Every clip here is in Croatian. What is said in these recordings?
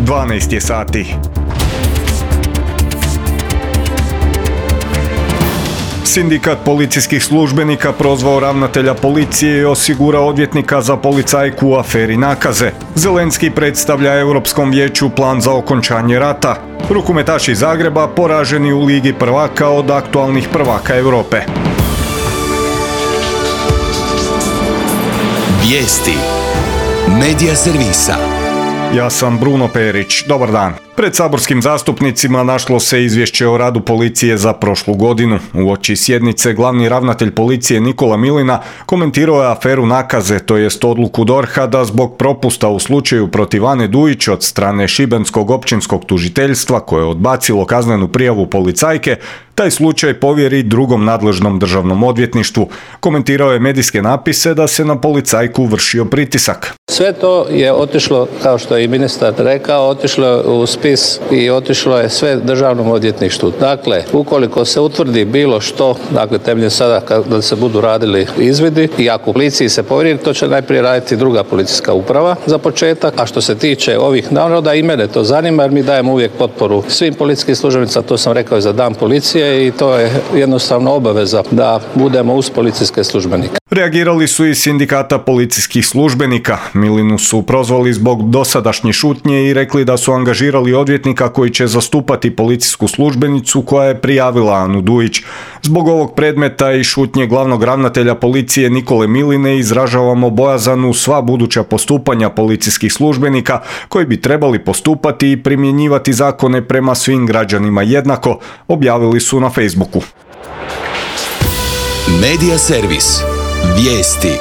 12 je sati. Sindikat policijskih službenika prozvao ravnatelja policije i osigurao odvjetnika za policajku u aferi nakaze. Zelenski predstavlja Europskom vijeću plan za okončanje rata. Rukometaši Zagreba poraženi u Ligi prvaka od aktualnih prvaka Europe. Vijesti Medija servisa. Ja sam Bruno Perić. Dobar dan. Pred saborskim zastupnicima našlo se izvješće o radu policije za prošlu godinu. Uoči sjednice glavni ravnatelj policije Nikola Milina komentirao je aferu nakaze, to jest odluku DORH-a da zbog propusta u slučaju protiv Ane Dujić od strane Šibenskog općinskog tužiteljstva koje je odbacilo kaznenu prijavu policajke, taj slučaj povjeri drugom nadležnom državnom odvjetništvu. Komentirao je medijske napise da se na policajku vršio pritisak. Sve to je otišlo, kao što je i ministar rekao, otišlo je u spis i otišlo je sve državnom odvjetništvu. Dakle, ukoliko se utvrdi bilo što, dakle temeljem sada kada se budu radili izvidi i ako policiji se povjeri, to će najprije raditi druga policijska uprava za početak. A što se tiče ovih naroda, i mene to zanima jer mi dajemo uvijek potporu svim policijskim službenicima, to sam rekao i za dan policije i to je jednostavno obaveza da budemo uz policijske službenike. Reagirali su i sindikata policijskih službenika. Milinu su prozvali zbog dosadašnje šutnje i rekli da su angažirali odvjetnika koji će zastupati policijsku službenicu koja je prijavila Anu Dujić. Zbog ovog predmeta i šutnje glavnog ravnatelja policije Nikole Miline izražavamo bojazan u sva buduća postupanja policijskih službenika koji bi trebali postupati i primjenjivati zakone prema svim građanima jednako, objavili su na Facebooku. Medija servis. Vijesti.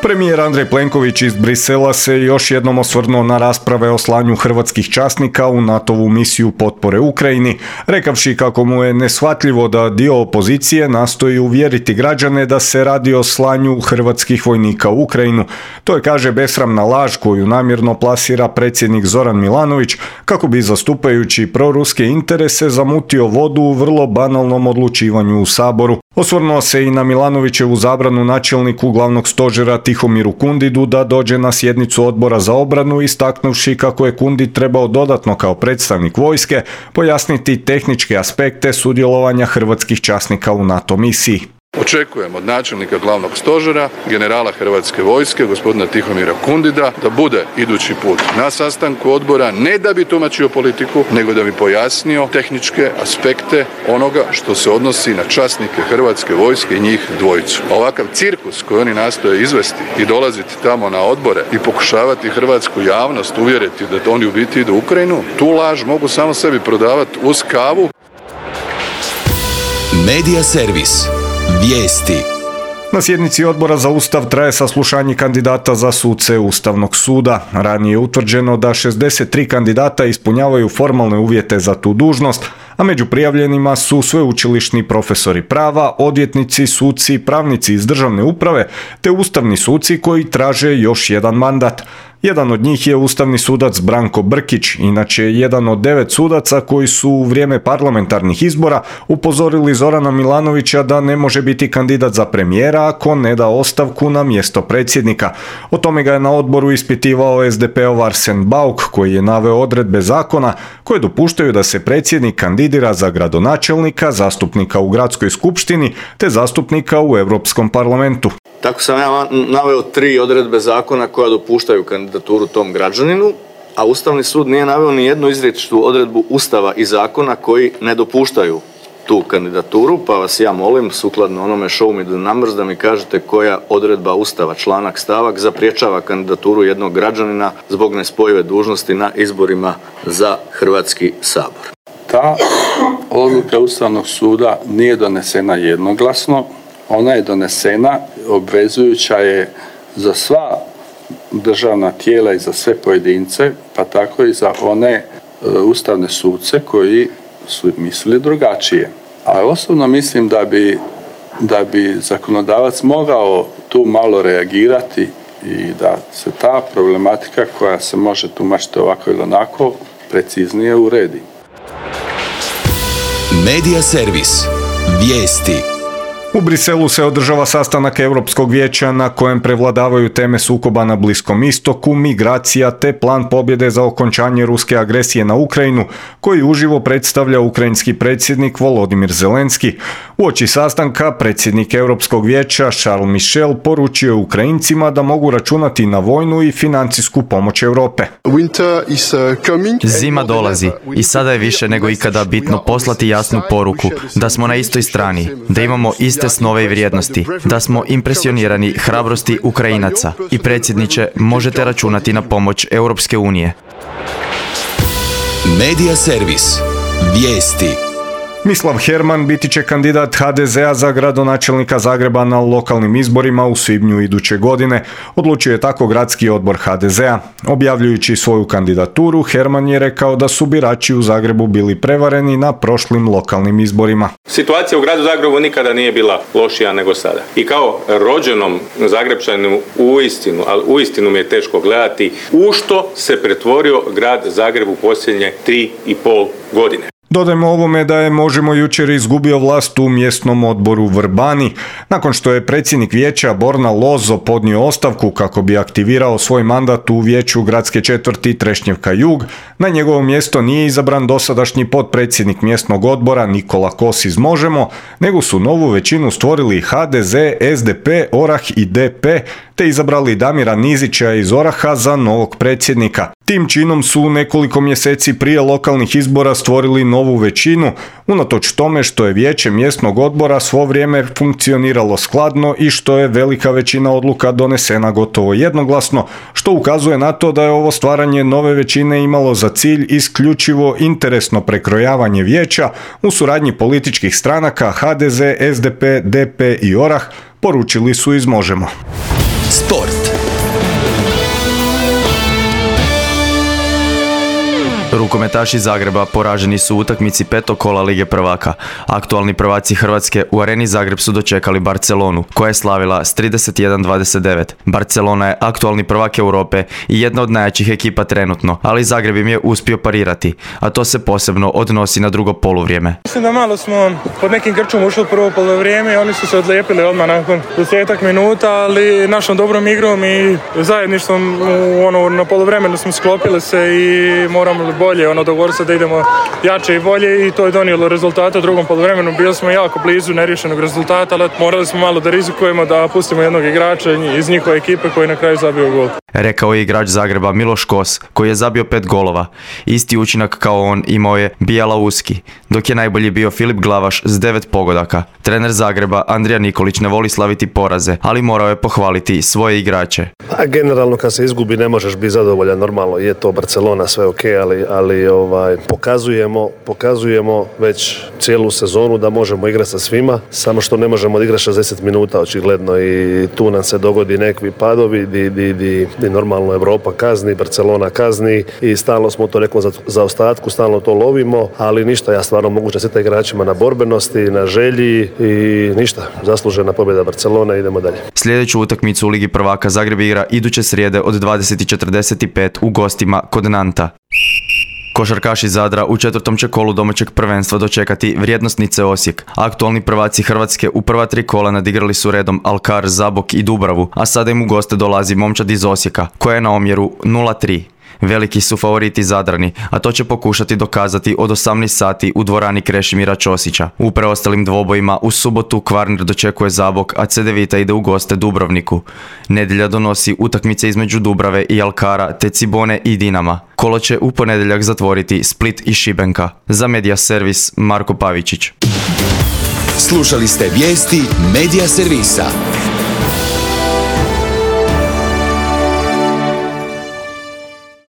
Premijer Andrej Plenković iz Brisela se još jednom osvrnuo na rasprave o slanju hrvatskih časnika u NATO-vu misiju potpore Ukrajini, rekavši kako mu je neshvatljivo da dio opozicije nastoji uvjeriti građane da se radi o slanju hrvatskih vojnika u Ukrajinu. To je, kaže, besramna laž koju namjerno plasira predsjednik Zoran Milanović kako bi zastupajući proruske interese zamutio vodu u vrlo banalnom odlučivanju u Saboru. Osvrnuo se i na Milanovićevu zabranu načelniku glavnog stožera Tihomiru Kundidu da dođe na sjednicu odbora za obranu, istaknuvši kako je Kundid trebao dodatno kao predstavnik vojske pojasniti tehničke aspekte sudjelovanja hrvatskih časnika u NATO misiji. Očekujem od načelnika glavnog stožera, generala Hrvatske vojske, gospodina Tihomira Kundida, da bude idući put na sastanku odbora, ne da bi tumačio politiku, nego da bi pojasnio tehničke aspekte onoga što se odnosi na časnike Hrvatske vojske i njih dvojicu. Ovakav cirkus koji oni nastoje izvesti i dolaziti tamo na odbore i pokušavati hrvatsku javnost uvjeriti da oni u biti idu u Ukrajinu, tu laž mogu samo sebi prodavati uz kavu. Medija servis. Vijesti. Na sjednici Odbora za Ustav traje saslušanje kandidata za suce Ustavnog suda. Ranije je utvrđeno da 63 kandidata ispunjavaju formalne uvjete za tu dužnost, a među prijavljenima su sveučilišni profesori prava, odvjetnici, suci, pravnici iz državne uprave te ustavni suci koji traže još jedan mandat. Jedan od njih je ustavni sudac Branko Brkić, inače jedan od 9 sudaca koji su u vrijeme parlamentarnih izbora upozorili Zorana Milanovića da ne može biti kandidat za premijera ako ne da ostavku na mjesto predsjednika. O tome ga je na odboru ispitivao SDP-ov Arsen Bauk koji je naveo odredbe zakona koje dopuštaju da se predsjednik kandidira za gradonačelnika, zastupnika u gradskoj skupštini te zastupnika u Europskom parlamentu. Tako sam ja naveo 3 odredbe zakona koja dopuštaju kandidaturu tom građaninu, a Ustavni sud nije naveo ni jednu izričitu odredbu Ustava i zakona koji ne dopuštaju tu kandidaturu, pa vas ja molim, sukladno onome show me the numbers, da mi kažete koja odredba Ustava, članak, stavak zapriječava kandidaturu jednog građanina zbog nespojive dužnosti na izborima za Hrvatski sabor. Ta odluka Ustavnog suda nije donesena jednoglasno, ona je donesena, obvezujuća je za sva državna tijela i za sve pojedince, pa tako i za one ustavne suce koji su mislili drugačije. A osobno mislim da bi zakonodavac mogao tu malo reagirati i da se ta problematika koja se može tumačiti ovako ili onako preciznije uredi. Medija servis. Vijesti. U Briselu se održava sastanak Europskog vijeća na kojem prevladavaju teme sukoba na Bliskom istoku, migracija te plan pobjede za okončanje ruske agresije na Ukrajinu, koji uživo predstavlja ukrajinski predsjednik Volodimir Zelenski. Uoči sastanka predsjednik Europskog vijeća Charles Michel poručio je Ukrajincima da mogu računati na vojnu i financijsku pomoć Europe. Zima dolazi i sada je više nego ikada bitno poslati jasnu poruku da smo na istoj strani, da imamo iste snove i vrijednosti, da smo impresionirani hrabrosti Ukrajinaca i predsjedniče, možete računati na pomoć Europske unije. Medija servis. Vijesti. Mislav Herman biti će kandidat HDZ-a za gradonačelnika Zagreba na lokalnim izborima u svibnju iduće godine, odlučio je tako gradski odbor HDZ-a. Objavljujući svoju kandidaturu, Herman je rekao da su birači u Zagrebu bili prevareni na prošlim lokalnim izborima. Situacija u gradu Zagrebu nikada nije bila lošija nego sada. I kao rođenom Zagrepčaninu uistinu mi je teško gledati u što se pretvorio grad Zagreb u posljednje 3,5 godine. Dodajmo ovome da je Možemo jučer izgubio vlast u mjesnom odboru Vrbani, nakon što je predsjednik vijeća Borna Lozo podnio ostavku kako bi aktivirao svoj mandat u vijeću gradske četvrti Trešnjevka Jug. Na njegovo mjesto nije izabran dosadašnji potpredsjednik mjesnog odbora Nikola Kos iz Možemo, nego su novu većinu stvorili HDZ, SDP, Orah i DP, te izabrali Damira Nizića iz Oraha za novog predsjednika. Tim činom su nekoliko mjeseci prije lokalnih izbora stvorili novu većinu, unatoč tome što je vijeće mjesnog odbora svo vrijeme funkcioniralo skladno i što je velika većina odluka donesena gotovo jednoglasno, što ukazuje na to da je ovo stvaranje nove većine imalo za cilj isključivo interesno prekrojavanje vijeća u suradnji političkih stranaka HDZ, SDP, DP i Orah, poručili su iz Možemo. Sport. Rukometaši Zagreba poraženi su u utakmici petog kola Lige prvaka. Aktualni prvaci Hrvatske u Areni Zagreb su dočekali Barcelonu, koja je slavila s 31-29. Barcelona je aktualni prvak Europe i jedna od najjačih ekipa trenutno, ali Zagreb im je uspio parirati, a to se posebno odnosi na drugo poluvrijeme. Mislim da malo smo pod nekim grčom ušli u prvo poluvrijeme i oni su se odlijepili odmah nakon 10 minuta, ali našom dobrom igrom i zajedništvom na poluvremenu smo sklopili se i moramo bolje, dogovorili se da idemo jače i bolje i to je donijelo rezultate u drugom poluvremenu. Bili smo jako blizu neriješenog rezultata, ali morali smo malo da rizikujemo, da pustimo jednog igrača iz njihove ekipe koji na kraju zabio gol. Rekao je igrač Zagreba Miloš Kos, koji je zabio 5 golova. Isti učinak kao on imao je Bijela Uski, dok je najbolji bio Filip Glavaš s 9 pogodaka. Trener Zagreba Andrija Nikolić ne voli slaviti poraze, ali morao je pohvaliti svoje igrače. Generalno kad se izgubi ne možeš biti zadovoljan, normalno je to Barcelona, sve ok, ali pokazujemo već cijelu sezonu da možemo igrati sa svima, samo što ne možemo igrati 60 minuta očigledno i tu nam se dogodi nekakvi padovi di normalno Europa kazni, Barcelona kazni i stalno smo to nekom zaostatku, stalno to lovimo, ali ništa, ja stvarno mogu čestitati igračima na borbenosti, na želji i ništa, zaslužena pobjeda Barcelona, idemo dalje. Sljedeću utakmicu u Ligi prvaka Zagreb igra iduće srijede od 20:45 u gostima kod Nanta. Košarkaši Zadra u četvrtom će kolu domaćeg prvenstva dočekati Vrijednosnice Osijek. Aktualni prvaci Hrvatske u prva 3 kola nadigrali su redom Alkar, Zabok i Dubravu, a sada im u goste dolazi momčad iz Osijeka, koja je na omjeru 0-3. Veliki su favoriti Zadrani, a to će pokušati dokazati od 18 sati u dvorani Krešimira Ćosića. U preostalim dvobojima u subotu Kvarner dočekuje Zabok, a Cedevita ide u goste Dubrovniku. Nedjelja donosi utakmice između Dubrave i Alkara, te Cibone i Dinama. Kolo će u ponedjeljak zatvoriti Split i Šibenka. Za Medija servis Marko Pavičić. Slušali ste vijesti Medija servisa.